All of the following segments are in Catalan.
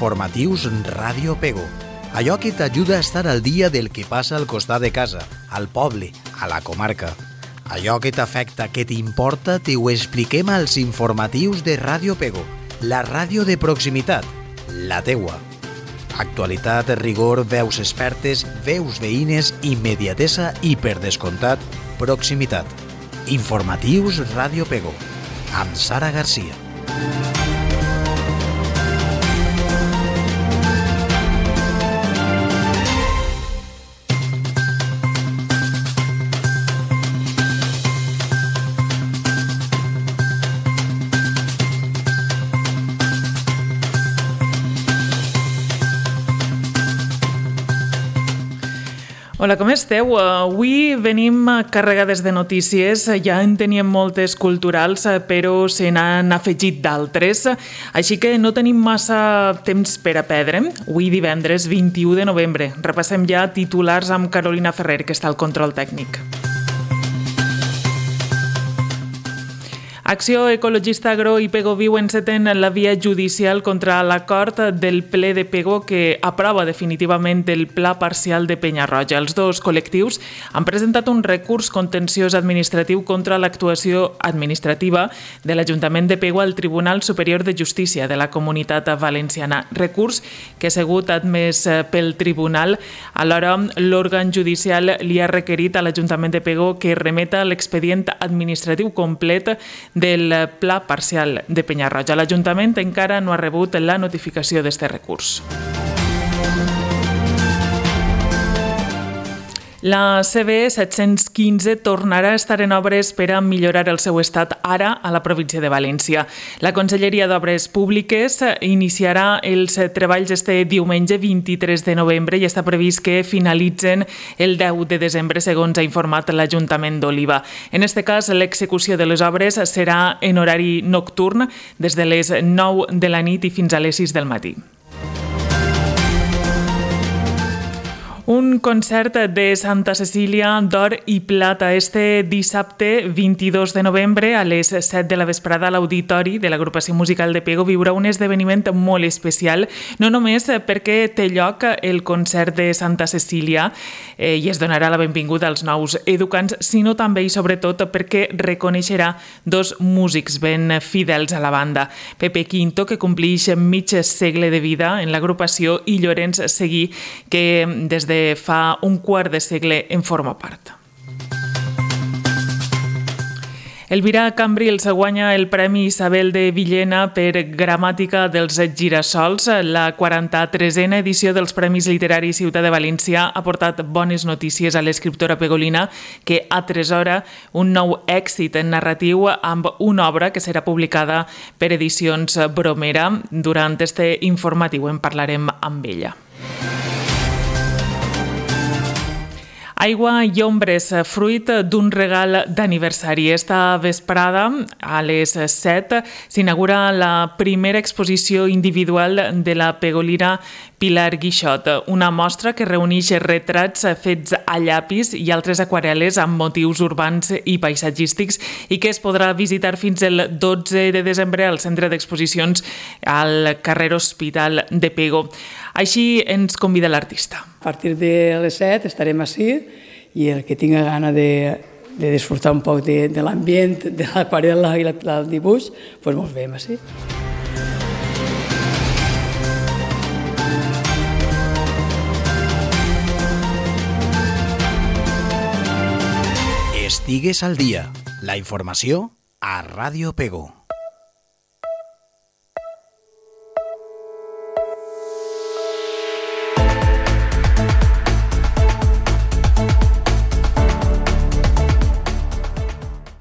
informatius Ràdio Pego. Allò que t'ajuda a estar al dia del que passa al costat de casa, al poble, a la comarca. Allò que t'afecta, que t'importa, t'ho expliquem als informatius de Ràdio Pego, la ràdio de proximitat, la teua. Actualitat, rigor, veus expertes, veus veïnes, immediatesa i, per descomptat, proximitat. Informatius Ràdio Pego, amb Sara Garcia. Hola, com esteu? Avui venim carregades de notícies, ja en teníem moltes culturals, però se n'han afegit d'altres, així que no tenim massa temps per a perdre. Avui divendres 21 de novembre. Repassem ja titulars amb Carolina Ferrer, que està al control tècnic. Acció Ecologista Agro i Pego Viu enceten la via judicial contra l'acord del ple de Pego que aprova definitivament el pla parcial de Penyarroja. Els dos col·lectius han presentat un recurs contenciós administratiu contra l'actuació administrativa de l'Ajuntament de Pego al Tribunal Superior de Justícia de la Comunitat Valenciana. Recurs que ha sigut admès pel tribunal. Alhora, l'òrgan judicial li ha requerit a l'Ajuntament de Pego que remeta l'expedient administratiu complet del pla parcial de Penyarroja. L'Ajuntament encara no ha rebut la notificació d'este recurs. La CB 715 tornarà a estar en obres per a millorar el seu estat ara a la província de València. La Conselleria d'Obres Públiques iniciarà els treballs este diumenge 23 de novembre i està previst que finalitzen el 10 de desembre, segons ha informat l'Ajuntament d'Oliva. En aquest cas, l'execució de les obres serà en horari nocturn des de les 9 de la nit i fins a les 6 del matí. Un concert de Santa Cecília d'or i plata este dissabte 22 de novembre a les 7 de la vesprada a l'Auditori de l'Agrupació Musical de Pego viurà un esdeveniment molt especial, no només perquè té lloc el concert de Santa Cecília i es donarà la benvinguda als nous educants, sinó també i sobretot perquè reconeixerà dos músics ben fidels a la banda. Pepe Quinto, que complix mig segle de vida en l'agrupació, i Llorenç Seguí, que des de fa un quart de segle en forma part. Elvira Cambrils guanya el Premi Isabel de Villena per Gramàtica dels Girassols. La 43a edició dels Premis Literaris Ciutat de València ha portat bones notícies a l'escriptora pegolina, que atresora un nou èxit narratiu amb una obra que serà publicada per Edicions Bromera. Durant este informatiu en parlarem amb ella. Aigua i ombres, fruit d'un regal d'aniversari. Esta vesprada, a les 7, s'inaugura la primera exposició individual de la pegolina Pilar Guixot, una mostra que reuneix retrats fets a llapis i altres aquarel·les amb motius urbans i paisatgístics i que es podrà visitar fins el 12 de desembre al centre d'exposicions al carrer Hospital de Pego. Així ens convida l'artista. A partir de les 7 estarem ací i el que tinga gana de disfrutar un poc de l'ambient, de l'aquarel·la i el dibuix, doncs mos veiem ací. Estigues al dia. La informació a Ràdio Pego.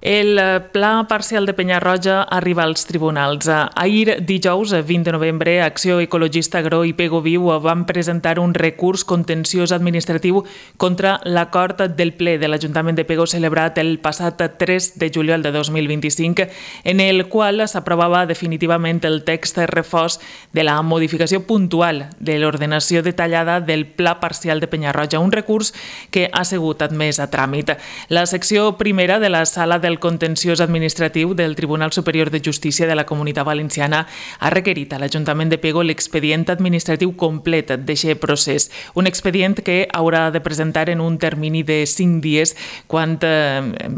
El pla parcial de Penyarroja arriba als tribunals. Ahir, dijous, 20 de novembre, Acció Ecologista Agro i Pego Viu van presentar un recurs contenciós administratiu contra l'acord del ple de l'Ajuntament de Pego celebrat el passat 3 de juliol de 2025, en el qual s'aprovava definitivament el text refós de la modificació puntual de l'ordenació detallada del pla parcial de Penyarroja, un recurs que ha sigut admès a tràmit. La secció primera de la Sala del del Contenciós Administratiu del Tribunal Superior de Justícia de la Comunitat Valenciana ha requerit a l'Ajuntament de Pego l'expedient administratiu complet d'aquest procés, un expedient que haurà de presentar en un termini de 5 dies quan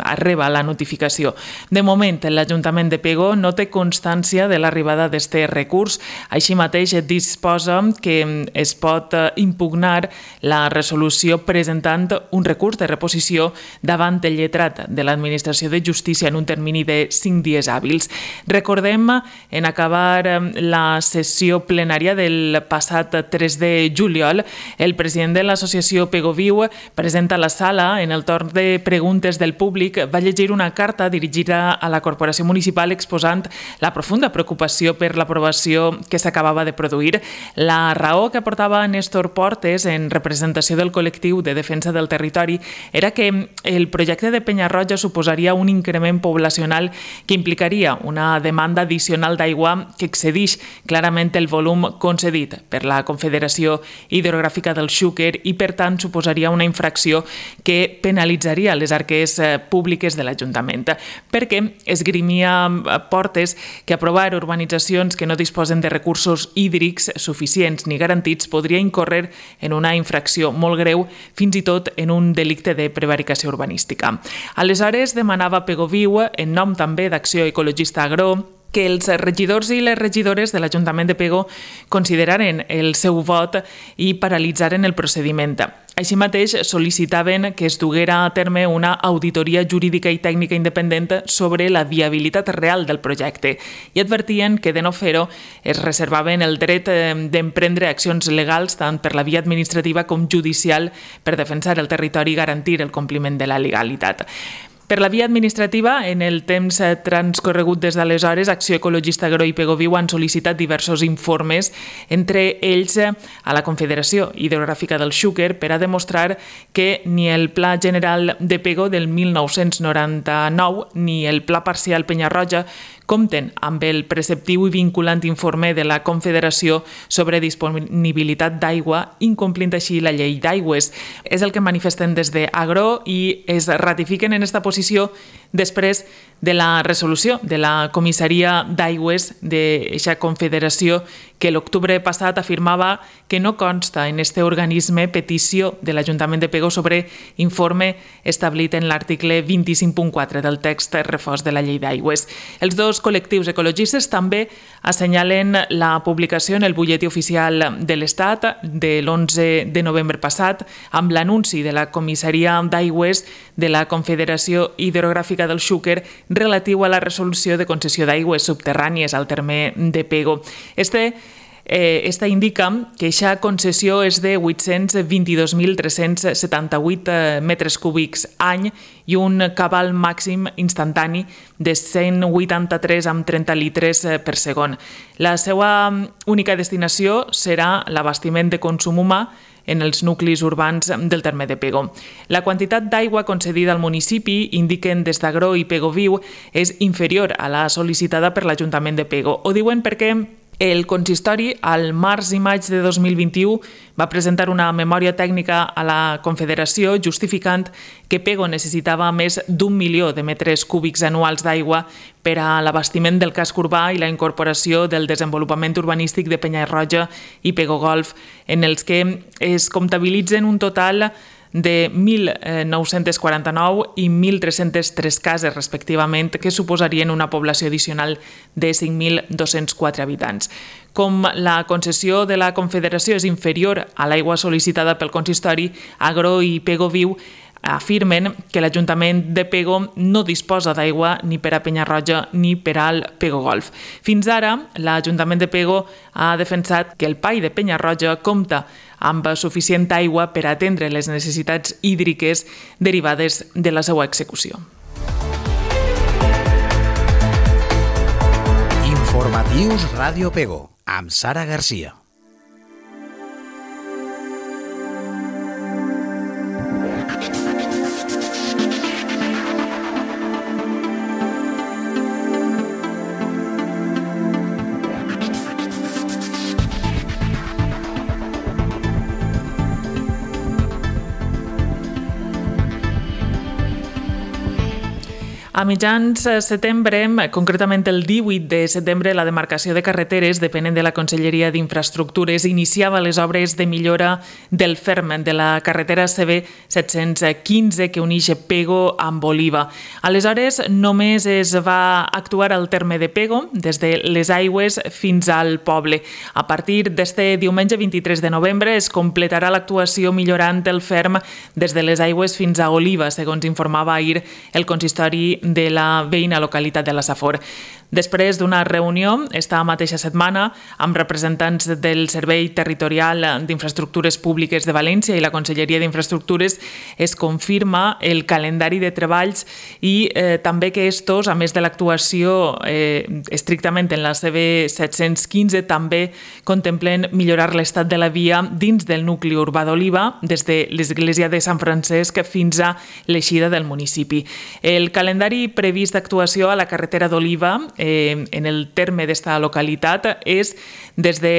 arriba la notificació. De moment, l'Ajuntament de Pego no té constància de l'arribada d'aquest recurs, així mateix disposa que es pot impugnar la resolució presentant un recurs de reposició davant el lletrat de l'Administració de Justícia en un termini de 5 dies hàbils. Recordem, en acabar la sessió plenària del passat 3 de juliol, el president de l'associació Pego Viu, present a la sala, en el torn de preguntes del públic, va llegir una carta dirigida a la Corporació Municipal exposant la profunda preocupació per l'aprovació que s'acabava de produir. La raó que aportava Néstor Portes en representació del col·lectiu de defensa del territori era que el projecte de Penyarroja suposaria un increment poblacional que implicaria una demanda addicional d'aigua que excedeix clarament el volum concedit per la Confederació Hidrogràfica del Xúquer i, per tant, suposaria una infracció que penalitzaria les arques públiques de l'Ajuntament, perquè esgrimia Portes que aprovar urbanitzacions que no disposen de recursos hídrics suficients ni garantits podria incórrer en una infracció molt greu, fins i tot en un delicte de prevaricació urbanística. Aleshores, demanava Pego Viu, en nom també d'Acció Ecologista Agro, que els regidors i les regidores de l'Ajuntament de Pego consideraren el seu vot i paralitzaren el procediment. Així mateix, sol·licitaven que es duguera a terme una auditoria jurídica i tècnica independent sobre la viabilitat real del projecte i advertien que, de no fer-ho, es reservaven el dret d'emprendre accions legals tant per la via administrativa com judicial per defensar el territori i garantir el compliment de la legalitat. Per la via administrativa, en el temps transcorregut des d'aleshores, Acció Ecologista Agro i Pego Viu han sol·licitat diversos informes, entre ells a la Confederació Hidrogràfica del Xúquer, per a demostrar que ni el Pla General de Pego del 1999 ni el Pla Parcial Penyarroja compten amb el preceptiu i vinculant informe de la Confederació sobre disponibilitat d'aigua, incomplint així la llei d'aigües. És el que manifesten des d'Agro i es ratifiquen en aquesta posició després de la resolució de la Comissaria d'Aigües d'aquesta Confederació que l'octubre passat afirmava que no consta en este organisme petició de l'Ajuntament de Pego sobre informe establit en l'article 25.4 del text refós de la llei d'aigües. Els dos col·lectius ecologistes també assenyalen la publicació en el butlletí oficial de l'Estat de l'11 de novembre passat amb l'anunci de la Comissaria d'Aigües de la Confederació Hidrogràfica del Xúquer relatiu a la resolució de concessió d'aigües subterrànies al terme de Pego. Esta indica que aquesta concessió és de 822.378 metres cúbics any i un cabal màxim instantani de 183,30 litres per segon. La seva única destinació serà l'abastiment de consum humà en els nuclis urbans del terme de Pego. La quantitat d'aigua concedida al municipi, indiquen des d'Agro i Pego Viu, és inferior a la sol·licitada per l'Ajuntament de Pego. Ho diuen perquè el consistori, al març i maig de 2021, va presentar una memòria tècnica a la Confederació justificant que Pego necessitava més d'1 milió de metres cúbics anuals d'aigua per a l'abastiment del casc urbà i la incorporació del desenvolupament urbanístic de Penyarroja i Pego Golf, en els que es comptabilitzen un total de 1.949 i 1.303 cases, respectivament, que suposarien una població addicional de 5.204 habitants. Com la concessió de la Confederació és inferior a l'aigua sol·licitada pel consistori, Agro i Pego Viu afirmen que l'Ajuntament de Pego no disposa d'aigua ni per a Penyarroja ni per al Pego Golf. Fins ara, l'Ajuntament de Pego ha defensat que el PAI de Penyarroja compta amb suficient aigua per atendre les necessitats hídriques derivades de la seva execució. Informatius Ràdio Pego, amb Sara Garcia. A mitjans setembre, concretament el 18 de setembre, la demarcació de carreteres, depenent de la Conselleria d'Infraestructures, iniciava les obres de millora del ferm de la carretera CB 715 que uneix Pego amb Oliva. Aleshores, només es va actuar al terme de Pego, des de les aigües fins al poble. A partir d'este diumenge 23 de novembre es completarà l'actuació millorant el ferm des de les aigües fins a Oliva, segons informava ahir el consistori de la veïna localitat de la Safor. Després d'una reunió, esta mateixa setmana, amb representants del Servei Territorial d'Infraestructures Públiques de València i la Conselleria d'Infraestructures, es confirma el calendari de treballs i també que estos, a més de l'actuació estrictament en la CB 715, també contemplen millorar l'estat de la via dins del nucli urbà d'Oliva, des de l'església de Sant Francesc fins a l'eixida del municipi. El calendari previst d'actuació a la carretera d'Oliva en el terme d'esta localitat és des de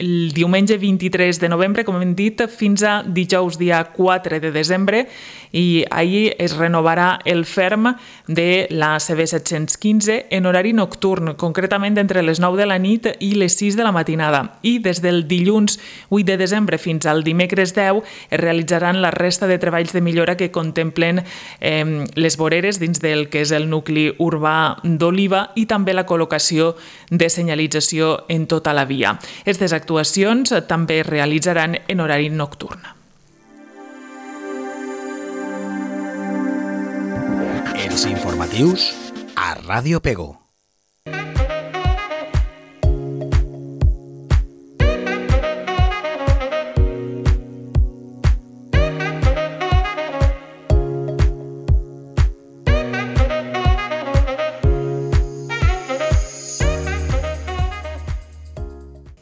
el diumenge 23 de novembre, com hem dit, fins a dijous dia 4 de desembre, i ahir es renovarà el ferm de la CB 715 en horari nocturn, concretament entre les 9 de la nit i les 6 de la matinada. I des del dilluns 8 de desembre fins al dimecres 10 es realitzaran la resta de treballs de millora que contemplen les voreres dins del que és el nucli urbà d'Oliva i també la col·locació de senyalització en tota la via. Aquestes actuacions també es realitzaran en horari nocturn. Els informatius a Ràdio Pego.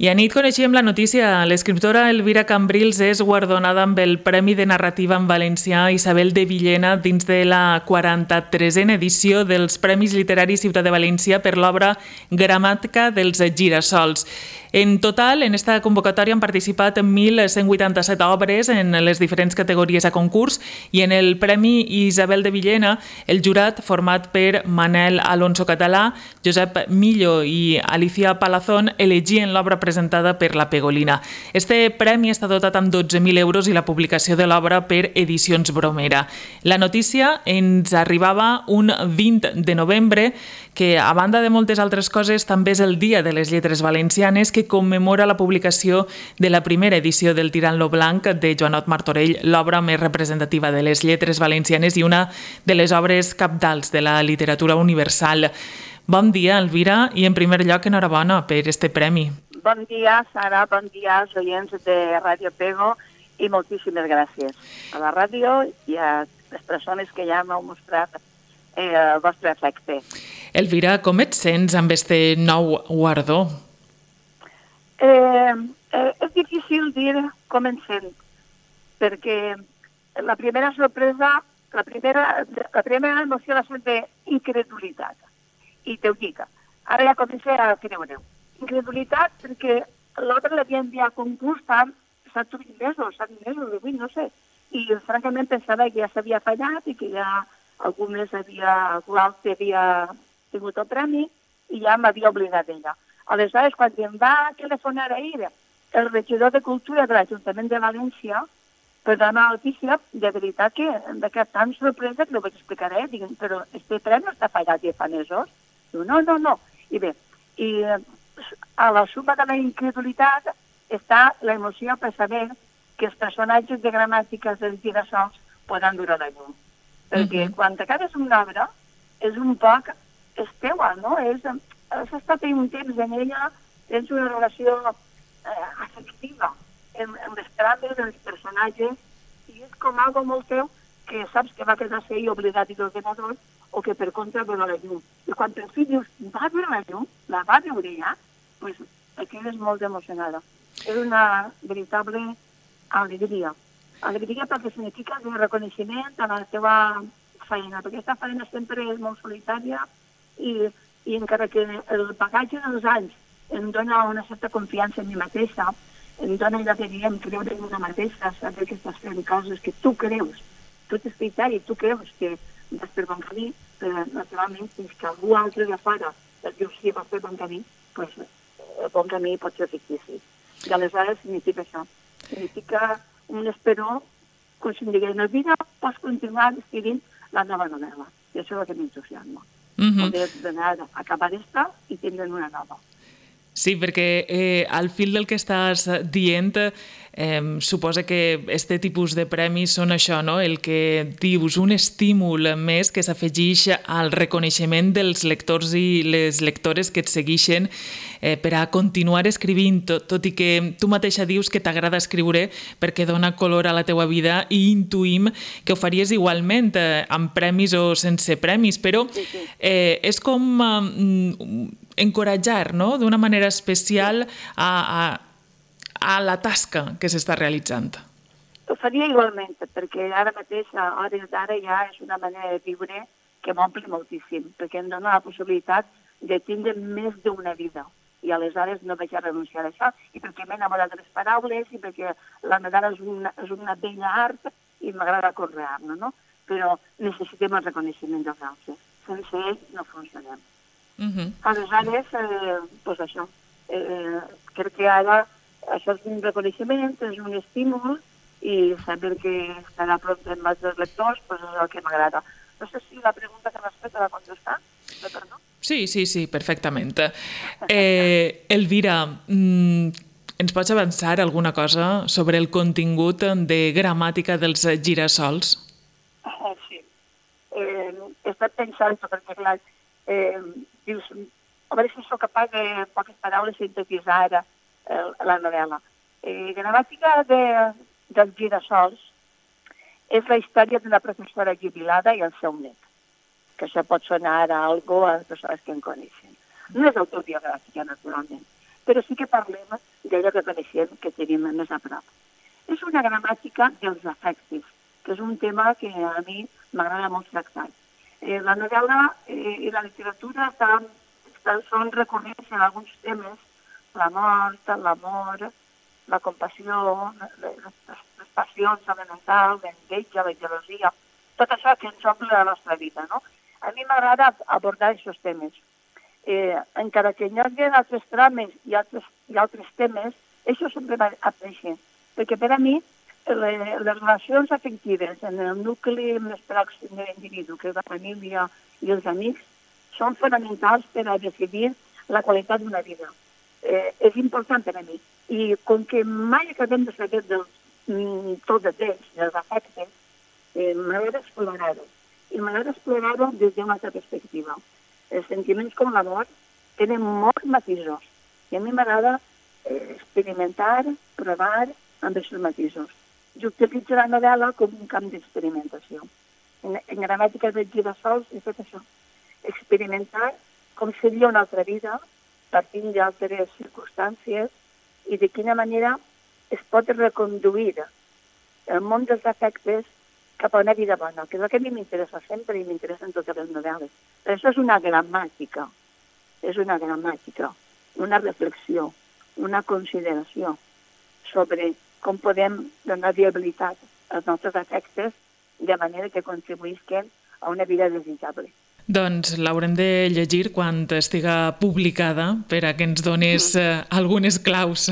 I anit coneixíem la notícia. L'escriptora Elvira Cambrils és guardonada amb el Premi de Narrativa en Valencià Isabel de Villena dins de la 43a edició dels Premis Literaris Ciutat de València per l'obra Gramàtica dels girassols. En total, en esta convocatòria han participat 1.187 obres en les diferents categories a concurs i en el Premi Isabel de Villena, el jurat, format per Manel Alonso Català, Josep Millo i Alicia Palazón, elegien l'obra presentada per la Pegolina. Este premi està dotat amb 12.000 euros i la publicació de l'obra per Edicions Bromera. La notícia ens arribava un 20 de novembre, que a banda de moltes altres coses també és el Dia de les Lletres Valencianes, que commemora la publicació de la primera edició del Tirant lo Blanc de Joanot Martorell, l'obra més representativa de les lletres valencianes i una de les obres cabdals de la literatura universal. Bon dia, Elvira, i en primer lloc, enhorabona per este premi. Bon dia, Sara, bon dia als oients de Ràdio Pego i moltíssimes gràcies a la ràdio i a les persones que ja m'heu mostrat el vostre afecte. Elvira, com et sents amb este nou guardó? És difícil dir com em sent, perquè la primera sorpresa, la primera emoció va ser d'incredulitat. I t'ho dic, ara ja començo a creure-ho. Incredulitat perquè l'obra l'havia enviat a concurs fa 7 mesos, 8, no sé. I francament pensava que ja s'havia fallat i que ja algú l'altre havia tingut el premi i ja m'havia oblidat d'ella. Aleshores, quan em va telefonar ahir el regidor de Cultura de l'Ajuntament de València per donar la notícia, de veritat que em va quedar tan sorpresa que ho vaig explicar a ell. Dic, però este premi no està fallat ja fa mesos? Diu, no. I bé, a la suma de la incredulitat està l'emoció per saber que els personatges de gramàtiques dels girassols poden durar la llum. Perquè quan acabes una obra és un poc, és teua, no? Has estat un temps en ella, tens una relació afectiva amb les trames, amb els personatges, i és com algo molt teu que saps que va quedar-se ahí oblidat i l'ordenador o que per contra veure la llum. I quan per fi dius, va veure la llum, la va veure ja, doncs aquí és molt emocionada. És una veritable alegria. Alegria perquè significa un reconeixement a la teva feina, perquè aquesta feina sempre és molt solitària i encara que el bagatge dels anys em dona una certa confiança en mi mateixa, em dona allò que diem creure en una mateixa, saber que estàs fent coses que tu creus, tu t'has fet i tu creus que vas per bon camí, però naturalment fins que algú altre de fora el diu sí, va fer bon camí, doncs el bon camí pot ser fictici. I aleshores significa això. Significa un esperó, com si em digués, en el vida pots continuar escrivint la nova novel·la. I això és el que m'entusiasma. Poder d'anar a acabar esta i tindre una nova. Sí, perquè al fil del que estàs dient, suposa que este tipus de premis són això, no? El que dius, un estímul més que s'afegeix al reconeixement dels lectors i les lectores que et segueixen per a continuar escrivint, tot i que tu mateixa dius que t'agrada escriure perquè dona color a la teua vida i intuïm que ho faries igualment amb premis o sense premis, però és com encoratjar, no?, d'una manera especial a la tasca que s'està realitzant. Ho faria igualment, perquè ara mateix, a hores d'ara, ja és una manera de viure que m'omple moltíssim, perquè em dona la possibilitat de tindre més d'una vida. I aleshores no vaig a renunciar a això, i perquè m'he enamorat de les paraules, i perquè la novel·la és una bella art, i m'agrada conrear-la, no? Però necessitem el reconeixement dels altres. Sense ell no funcionem. Aleshores, doncs això, crec que ara això és un reconeixement, és un estímul, i saber que estarà prop de més dels lectors, doncs és el que m'agrada. No sé si la pregunta que m'has fet la contestar, perdó? Sí, perfectament. Elvira, ens pots avançar alguna cosa sobre el contingut de gramàtica dels girassols? Sí. He estat pensant, perquè clar, dius, a veure si soc capaç de poques paraules sintetitzar ara la novel·la. Gramàtica dels girassols és la història d'una professora jubilada i el seu net, que això pot sonar a algo a les persones que en coneixen. No és autobiogràfica, naturalment, però sí que parlem d'allò que coneixem, que tenim més a prop. És una gramàtica dels afectes, que és un tema que a mi m'agrada molt tractar. La novel·la i la literatura són recurrents en alguns temes, la mort, l'amor, la compassió, les passions elementals, l'enveja, la gelosia, tot això que ens omple la nostra vida, no? A mi m'agrada abordar aquests temes. Encara que hi hagi altres trames i altres temes, això sempre m'apareix, perquè per a mi les relacions afectives en el nucli més pròxim de l'individu, que és la família i els amics, són fonamentals per a decidir la qualitat d'una vida. És important per a mi. I com que mai acabem de saber tot d'ells, dels afectes, m'agrada explorar-ho. I m'agrada explorar-ho des d'una altra perspectiva. Els sentiments com l'amor tenen molts matisos. I a mi m'agrada experimentar, provar amb aquests matisos. I utilitzo la novel·la com un camp d'experimentació. En gramàtica dels girassols he fet això. Experimentar com seria una altra vida, partint d'altres circumstàncies, i de quina manera es pot reconduir el món dels afectes cap a una vida bona, que és el que a mi m'interessa sempre i m'interessa en totes les novel·les. Però això és una gramàtica, una reflexió, una consideració sobre com podem donar viabilitat als nostres afectes de manera que contribuïsquen a una vida desitjable. Doncs l'haurem de llegir quan estiga publicada per a que ens dones algunes claus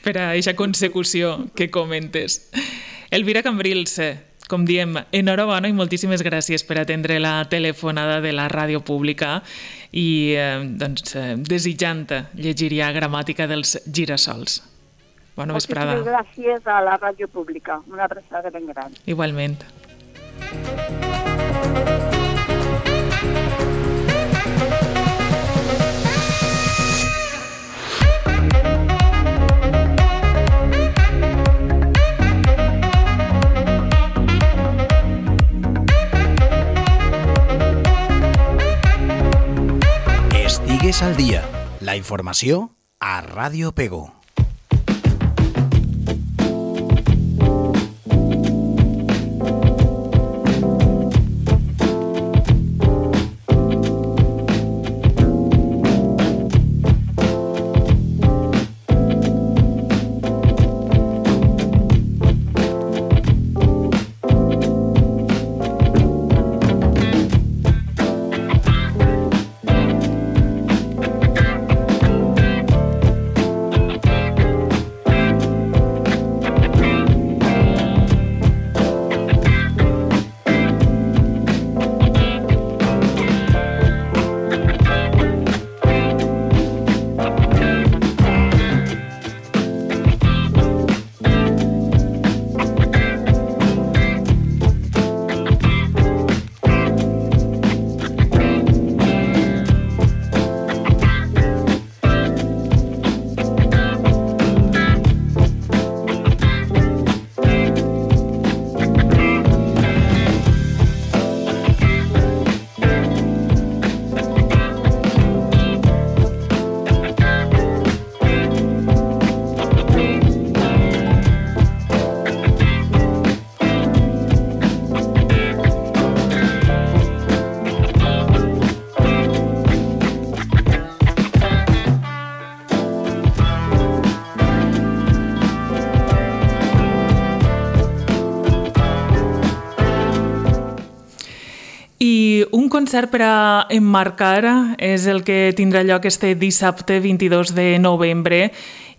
per a aquesta consecució que comentes. Elvira Cambrils, com diem, enhorabona i moltíssimes gràcies per atendre la telefonada de la ràdio pública i desitjant llegir ja Gramàtica dels girassols. Bona vesprada. Moltíssimes gràcies a la ràdio pública. Una abraçada ben gran. Igualment. Estigues al dia. La informació a Ràdio Pego. I un concert per a emmarcar és el que tindrà lloc este dissabte 22 de novembre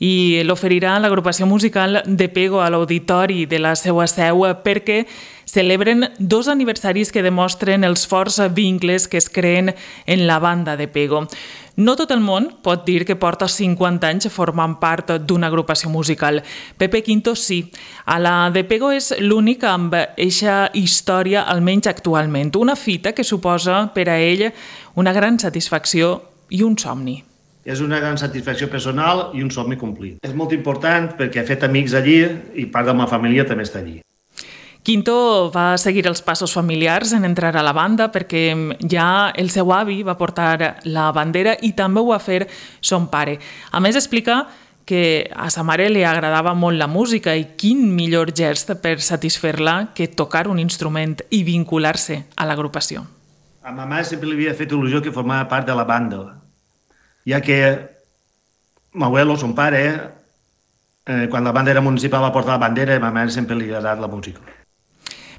i l'oferirà l'agrupació musical de Pego a l'auditori de la seva seu perquè celebren 2 aniversaris que demostren els forts vincles que es creen en la banda de Pego. No tot el món pot dir que porta 50 anys formant part d'una agrupació musical. Pepe Quinto sí. A la de Pego és l'únic amb eixa història, almenys actualment. Una fita que suposa per a ell una gran satisfacció i un somni. És una gran satisfacció personal i un somni complit. És molt important perquè he fet amics allí i part de la meva família també està allí. Quinto va seguir els passos familiars en entrar a la banda perquè ja el seu avi va portar la bandera i també ho va fer son pare. A més, explica que a sa mare li agradava molt la música i quin millor gest per satisfer-la que tocar un instrument i vincular-se a l'agrupació. A ma mare sempre li havia fet il·lusió que formava part de la banda, ja que m'abuelo, son pare, quan la banda era municipal va portar la bandera i a ma mare sempre li agradava la música.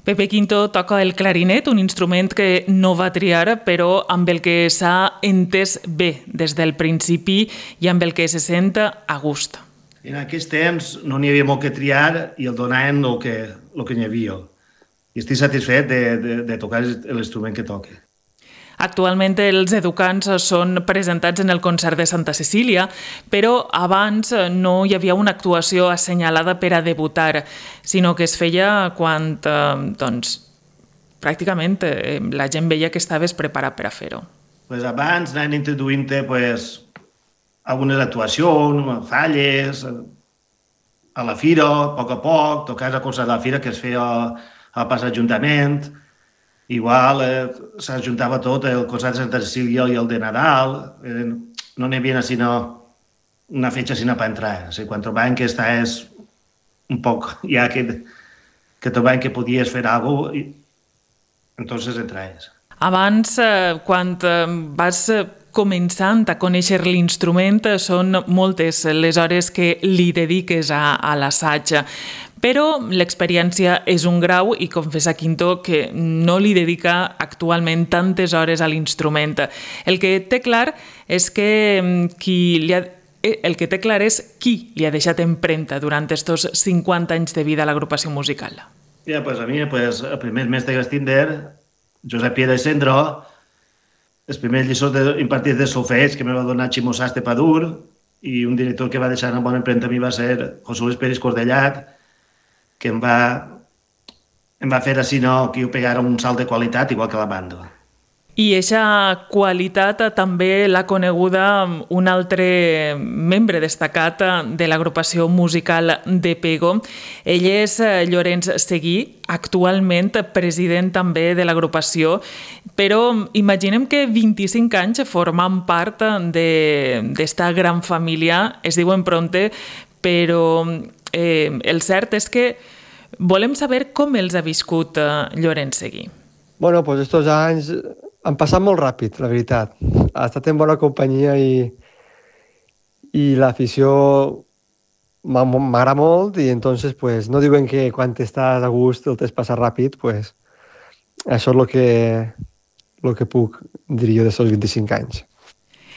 Pepe Quinto toca el clarinet, un instrument que no va triar, però amb el que s'ha entès bé des del principi i amb el que se sent a gust. En aquest temps no n'hi havia molt que triar i el donaven el que n'hi havia. I estic satisfet de tocar l'instrument que toque. Actualment els educants són presentats en el concert de Santa Cecília, però abans no hi havia una actuació assenyalada per a debutar, sinó que es feia quan pràcticament la gent veia que estaves preparat per a fer-ho. Abans anaven introduint algunes actuacions, falles, a la fira, a poc, tocar a concert de la fira que es feia al pas Ajuntament. Igual s'ajuntava tot, el concert de Santa Cecília i el de Nadal, no n'hi havia sinó una fetge sinó per entrar. O sigui, quan trobaven que estaves un poc, ja que trobaven que podies fer alguna cosa, entonces entraves. Abans, quan vas començant a conèixer l'instrument, són moltes les hores que li dediques a l'assaig. Però l'experiència és un grau i confessa Quinto que no li dedica actualment tantes hores a l'instrument. El que té clar és qui li ha deixat empremta durant aquests 50 anys de vida a l'agrupació musical. Ja, pues a mi, el primer mestre que vaig tindre, Josep Piera i Cendro, els primers lliçons impartits de solfeig que me va donar Ximo Sastre Padur i un director que va deixar una bona empremta a mi va ser José Luis Pérez Cordellat, que em va fer així que jo pegara un salt de qualitat igual que la banda. I aquesta qualitat també l'ha coneguda un altre membre destacat de l'agrupació musical de Pego. Ell és Llorenç Seguí, actualment president també de l'agrupació, però imaginem que 25 anys formant part d'esta gran família, es diuen pronte, però el cert és que volem saber com els ha viscut Llorenç Seguí. Bueno, pues estos anys han passat molt ràpid, la veritat. Ha estat en bona companyia i l'afició m'agrada molt i entonces pues no diuen que quan estàs a gust el t'has passat ràpid, pues això és el que puc dir jo d'aquests 25 anys.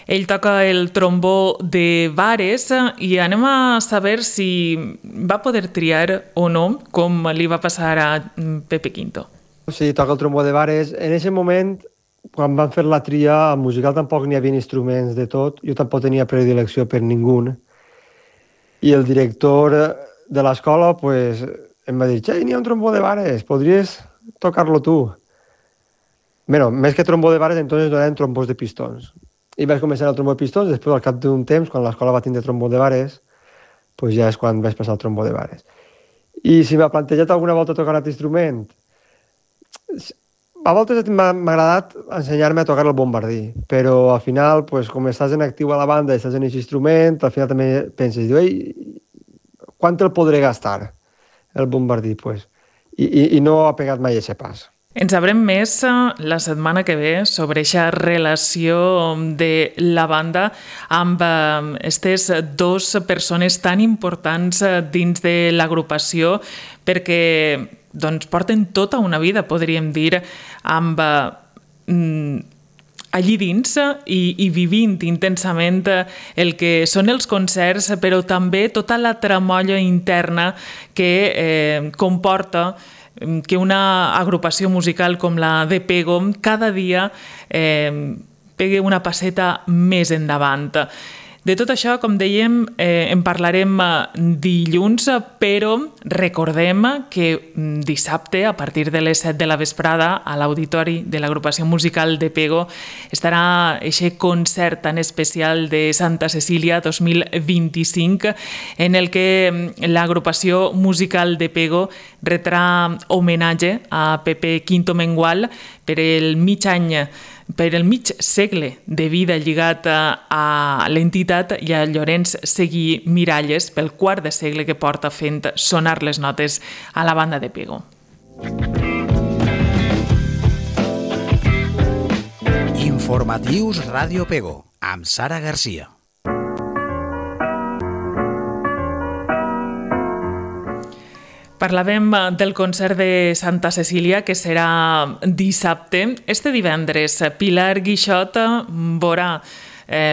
Ell toca el trombó de Vares i anem a saber si va poder triar o no, com li va passar a Pepe Quinto. Sí, toca el trombó de Vares. En aquest moment, quan van fer la tria, al musical tampoc n'hi havia instruments de tot, jo tampoc tenia predilecció per ningú. I el director de l'escola pues, em va dir, n'hi ha un trombó de Vares, podries tocar-lo tu? Bueno, més que trombó de Vares, entonces donaven trombós de pistons. I vaig començar el trombó de pistons, després al cap d'un temps, quan l'escola va tindre trombó de Vares, pues ja és quan vaig passar al trombó de Vares. I si m'ha plantejat alguna volta tocar un altre instrument, a voltes m'ha agradat ensenyar-me a tocar el bombardí, però al final, pues, com estàs en actiu a la banda i estàs en aquest instrument, al final també penses, quant el podré gastar, el bombardí? Pues? I no ha pegat mai aquest pas. En sabrem més la setmana que ve sobre aquesta relació de la banda amb aquestes 2 persones tan importants dins de l'agrupació perquè porten tota una vida, podríem dir, amb allí dins i vivint intensament el que són els concerts, però també tota la tramolla interna que comporta que una agrupació musical com la de Pego cada dia pegui una passeta més endavant. De tot això, com dèiem, en parlarem dilluns, però recordem que dissabte, a partir de les 7 de la vesprada, a l'auditori de l'agrupació musical de Pego, estarà aquest concert tan especial de Santa Cecília 2025, en el que l'agrupació musical de Pego retrà homenatge a Pepe Quinto Mengual per el mig segle de vida lligat a l'entitat i a Llorenç Seguí Miralles pel quart de segle que porta fent sonar les notes a la banda de Pego. Informatius Ràdio Pego, amb Sara Garcia. Parlàvem del concert de Santa Cecília, que serà dissabte. Este divendres, Pilar Guixot veurà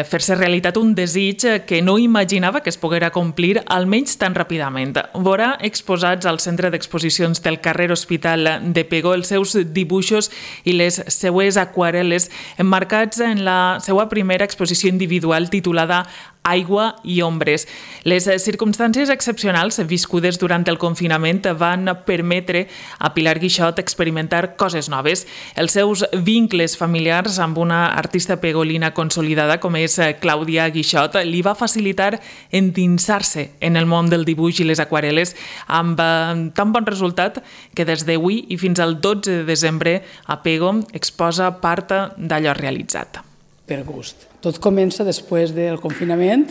fer-se realitat un desig que no imaginava que es poguera complir, almenys tan ràpidament. Veurà exposats al Centre d'Exposicions del carrer Hospital de Pego els seus dibuixos i les seues aquarel·les emmarcats en la seva primera exposició individual titulada Aigua i ombres. Les circumstàncies excepcionals viscudes durant el confinament van permetre a Pilar Guixot experimentar coses noves. Els seus vincles familiars amb una artista pegolina consolidada com és Clàudia Guixot li va facilitar endinsar-se en el món del dibuix i les aquarel·les amb tan bon resultat que des d'avui i fins al 12 de desembre a Pego exposa part d'allò realitzat. Per gust. Tot comença després del confinament,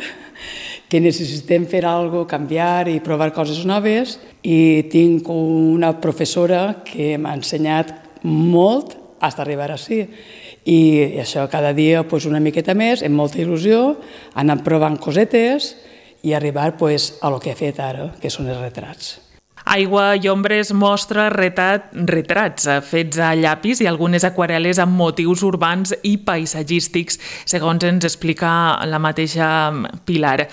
que necessitem fer alguna cosa, canviar i provar coses noves, i tinc una professora que m'ha ensenyat molt fins a arribar així. I això cada dia una miqueta més, amb molta il·lusió, anar provant cosetes i arribar a lo que he fet ara, que són els retrats. Aigua i ombres mostra retrats fets a llapis i algunes aquarel·les amb motius urbans i paisatgístics, segons ens explica la mateixa Pilar.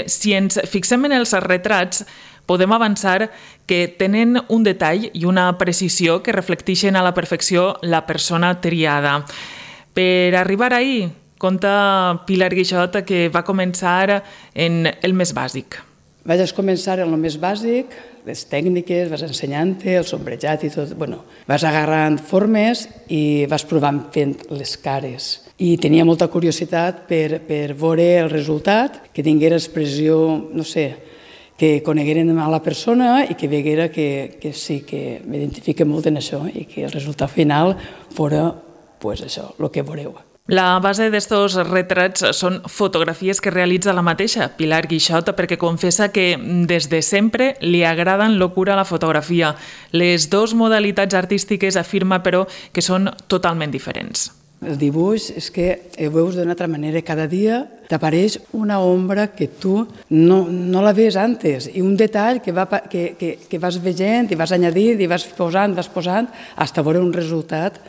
Si ens fixem en els retrats, podem avançar que tenen un detall i una precisió que reflecteixen a la perfecció la persona triada. Per arribar ahí, conta Pilar Guixot que va començar en el més bàsic. Vaig començar en el més bàsic, les tècniques, vas ensenyant-te, el sombrejat i tot. Vas agarrant formes i vas provant fent les cares. I tenia molta curiositat per veure el resultat, que tinguera expressió, no sé, que conegueren a la persona i que veguera que sí, que m'identifique molt en això i que el resultat final fora això, el que veureu. La base d'estos retrats són fotografies que realitza la mateixa Pilar Guixot perquè confessa que des de sempre li agrada en locura la fotografia. Les dues modalitats artístiques afirma, però, que són totalment diferents. El dibuix és que ho veus d'una altra manera. Cada dia t'apareix una ombra que tu no la veus antes i un detall que vas veient i vas añadint i vas posant fins a veure un resultat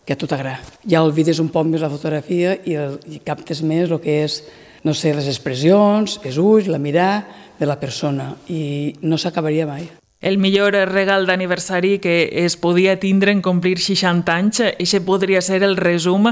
que a tu t'agrada. Ja olvides un poc més la fotografia i captes més el que és, no sé, les expressions, els ulls, la mirada de la persona i no s'acabaria mai. El millor regal d'aniversari que es podia tindre en complir 60 anys, això podria ser el resum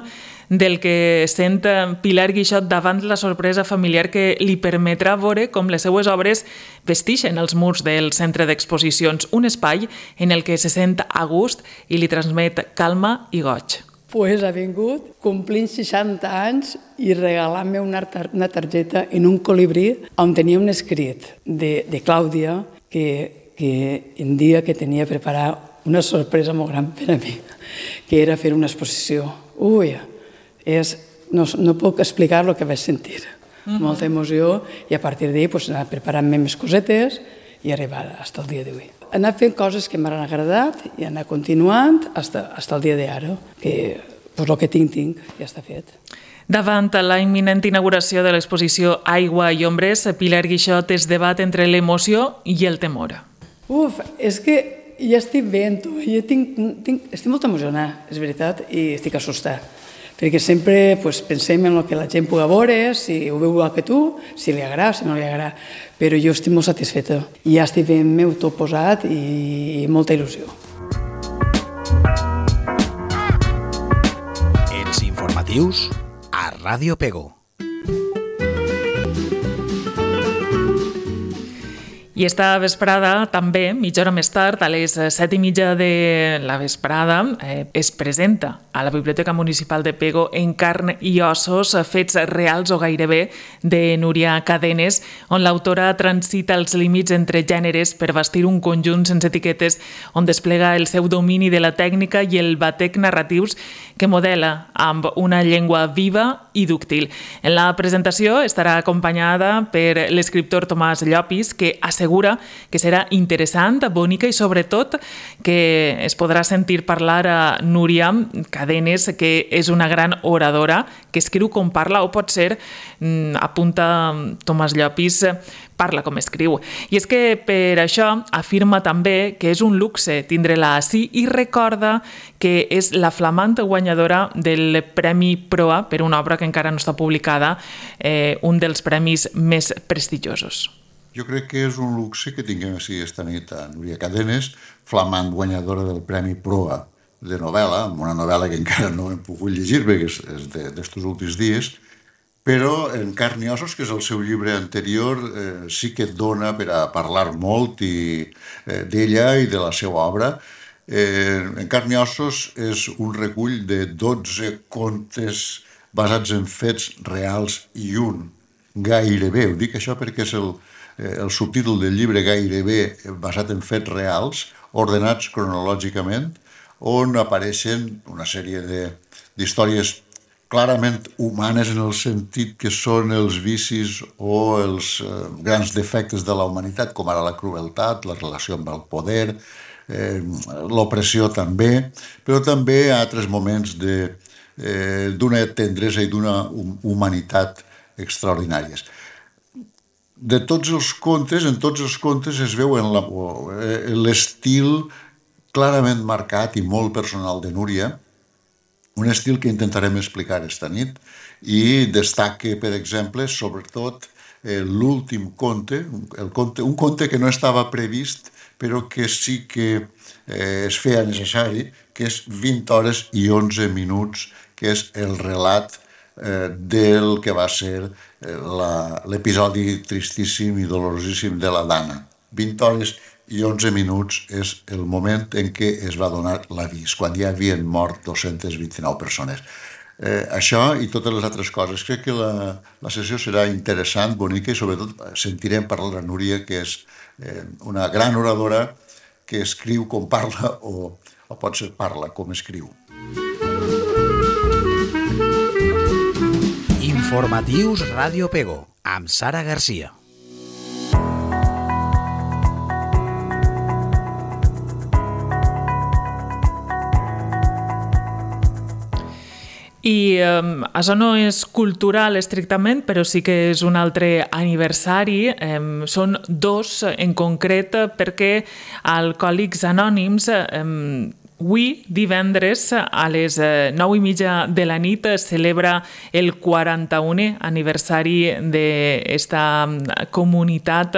del que sent Pilar Guixot davant la sorpresa familiar que li permetrà veure com les seues obres vesteixen els murs del centre d'exposicions, un espai en el que se sent a gust i li transmet calma i goig. Ha vingut complint 60 anys i regalant-me una targeta en un colibrí on tenia un escrit de Clàudia que em dia que tenia preparat una sorpresa molt gran per a mi, que era fer una exposició. No puc explicar el que vaig sentir. Molta emoció i a partir d'ahir anar preparant-me més cosetes i arribar fins al dia d'avui. Anar fent coses que m'han agradat i anar continuant fins al dia d'ara, que el que tinc ja està fet. Davant la imminent inauguració de l'exposició Aigua i ombres, Pilar Guixot es debat entre l'emoció i el temor. És que ja estic bé, tu. Jo estic molt emocionada, és veritat, i estic assustada. Perquè sempre pensem en el que la gent pugui veure, si ho veu igual que tu, si li agrada, si no li agrada. Però jo estic molt satisfeta. Ja estic ben meu tot posat i molta il·lusió. Els informatius a Ràdio Pego. I esta vesprada, també, mitja hora més tard, a les 7:30 de la vesprada, es presenta a la Biblioteca Municipal de Pego En carn i ossos, fets reals o gairebé, de Núria Cadenes, on l'autora transita els límits entre gèneres per bastir un conjunt sense etiquetes on desplega el seu domini de la tècnica i el batec narratius que modela amb una llengua viva i dúctil. En la presentació estarà acompanyada per l'escriptor Tomàs Llopis, que assegura que serà interessant, bonica i sobretot que es podrà sentir parlar a Núria Cadenes, que és una gran oradora, que escriu com parla o potser, apunta Tomàs Llopis, parla com escriu. I és que per això afirma també que és un luxe tindre-la ací i recorda que és la flamant guanyadora del Premi Proa per una obra que encara no està publicada, un dels premis més prestigiosos. Jo crec que és un luxe que tinguem així esta nit a Núria Cadenes, flamant guanyadora del Premi Proa de novel·la, una novel·la que encara no hem pogut llegir perquè és d'estos últims dies, però En carn i ossos, que és el seu llibre anterior, sí que et dona per a parlar molt d'ella i de la seva obra. En carn i ossos és un recull de 12 contes basats en fets reals i un gairebé. Ho dic això perquè és el subtítol del llibre, gairebé basat en fets reals, ordenats cronològicament, on apareixen una sèrie d'històries clarament humanes en el sentit que són els vicis o els grans defectes de la humanitat, com ara la crueltat, la relació amb el poder, l'opressió també, però també altres moments d'una tendresa i d'una humanitat extraordinàries. De tots els contes, en tots els contes es veu l'estil clarament marcat i molt personal de Núria, un estil que intentarem explicar esta nit, i destaca, per exemple, sobretot l'últim conte, un conte que no estava previst, però que sí que es feia necessari, que és 20 hores i 11 minuts, que és el relat del que va ser l'episodi tristíssim i dolorosíssim de la Dana. 20 hores i 11 minuts és el moment en què es va donar l'avís, quan ja havien mort 229 persones. Això i totes les altres coses. Crec que la sessió serà interessant, bonica, i sobretot sentirem parlar a Núria, que és una gran oradora que escriu com parla o potser parla com escriu. Informatius Ràdio Pego, amb Sara Garcia. I això no és cultural estrictament, però sí que és un altre aniversari. Són dos en concret perquè Alcohòlics Anònims avui, divendres, a les 9:30 de la nit, celebra el 41è aniversari d'esta comunitat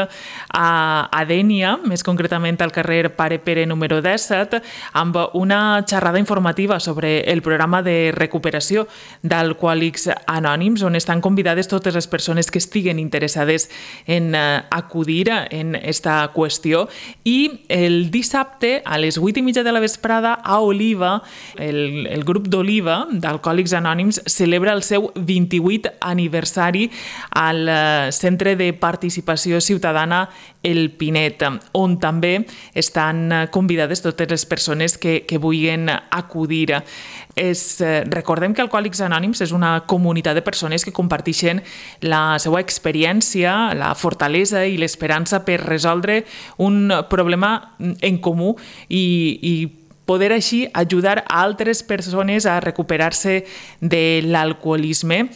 a Dénia, més concretament al carrer Pare Pere número 17, amb una xerrada informativa sobre el programa de recuperació d'Alcohòlics Anònims, on estan convidades totes les persones que estiguen interessades en acudir en esta qüestió. I el dissabte, a les 8:30 de la vesprada, a Oliva, el grup d'Oliva d'Alcohòlics Anònims celebra el seu 28è aniversari al Centre de Participació Ciutadana El Pinet, on també estan convidades totes les persones que vulguin acudir. Recordem que Alcohòlics Anònims és una comunitat de persones que comparteixen la seva experiència, la fortalesa i l'esperança per resoldre un problema en comú i poder així ajudar a altres persones a recuperar-se de l'alcoholisme.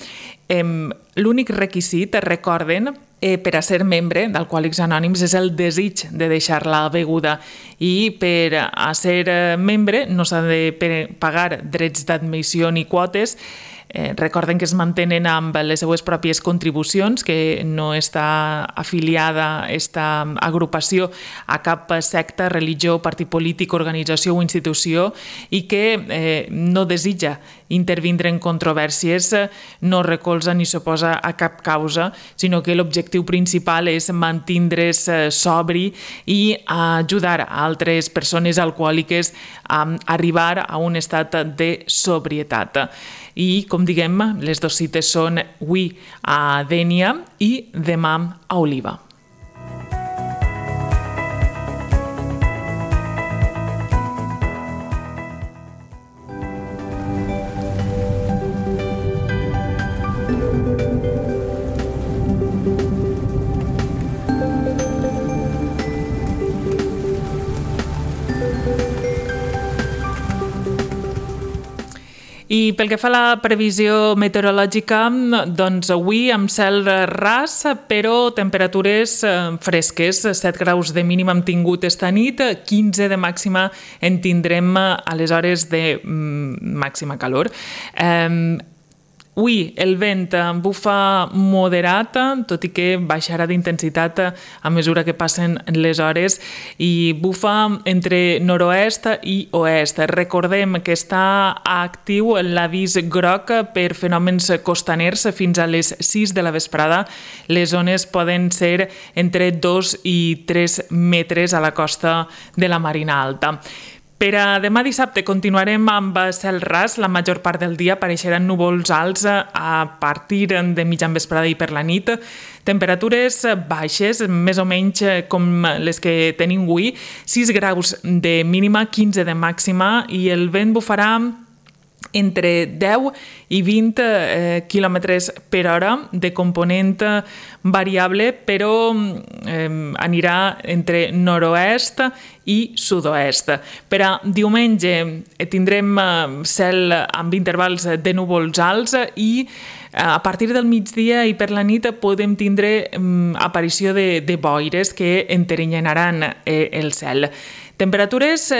L'únic requisit, recorden, per a ser membre d'Alcohòlics Anònims és el desig de deixar la beguda i per a ser membre no s'ha de pagar drets d'admissió ni quotes. Recorden que es mantenen amb les seues pròpies contribucions, que no està afiliada aquesta agrupació a cap secta, religió, partit polític, organització o institució i que no desitja intervindre en controvèrsies, no recolza ni s'oposa a cap causa, sinó que l'objectiu principal és mantindre's sobri i ajudar a altres persones alcohòliques a arribar a un estat de sobrietat. I, com diguem, les dues cites són avui a Dénia i demà a Oliva. I pel que fa a la previsió meteorològica, doncs avui amb cel ras, però temperatures fresques. 7 graus de mínima hem tingut esta nit, 15 de màxima en tindrem a les hores de màxima calor. Avui el vent bufa moderat, tot i que baixarà d'intensitat a mesura que passen les hores i bufa entre nord-oest i oest. Recordem que està actiu l'avís groc per fenòmens costaners fins a les 6 de la vesprada. Les ones poden ser entre 2 i 3 metres a la costa de la Marina Alta. Per a demà dissabte continuarem amb cel ras. La major part del dia apareixeran núvols alts a partir de mitjan vesprada i per la nit. Temperatures baixes, més o menys com les que tenim avui. 6 graus de mínima, 15 de màxima i el vent bufarà entre 10 i 20 km per hora de component variable, però anirà entre nord-oest i sud-oest. Per a diumenge tindrem cel amb intervals de núvols alts i a partir del migdia i per la nit podem tindre aparició de boires que enterrenyaran el cel. Temperatures,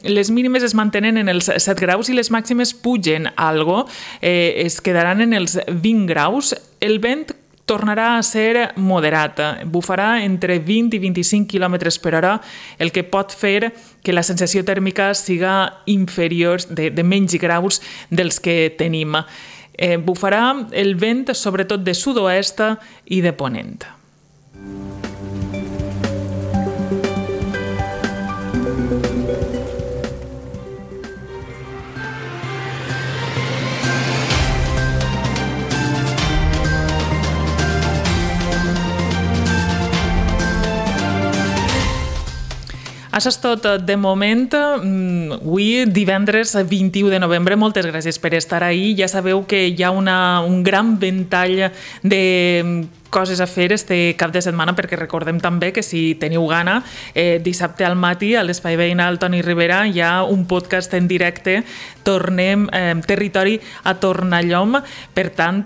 les mínimes es mantenen en els 7 graus i les màximes pugen algo, es quedaran en els 20 graus. El vent tornarà a ser moderat, bufarà entre 20 i 25 km per hora, el que pot fer que la sensació tèrmica siga inferior de menys graus dels que tenim. Bufarà el vent sobretot de sud-oest i de ponent. Això és tot de moment. Avui, divendres 21 de novembre, moltes gràcies per estar ahí. Ja sabeu que hi ha un gran ventall de coses a fer este cap de setmana, perquè recordem també que si teniu gana, dissabte al matí a l'Espai Veïnal Toni Ribera hi ha un podcast en directe, Tornem Territori a Tornallom, per tant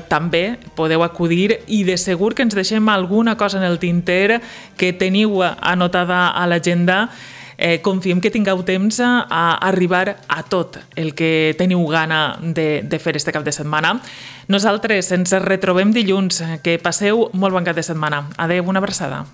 també podeu acudir i de segur que ens deixem alguna cosa en el tinter que teniu anotada a l'agenda. Confiem que tingueu temps a arribar a tot el que teniu gana de fer este cap de setmana. Nosaltres ens retrobem dilluns. Que passeu molt bon cap de setmana. Adéu, una abraçada.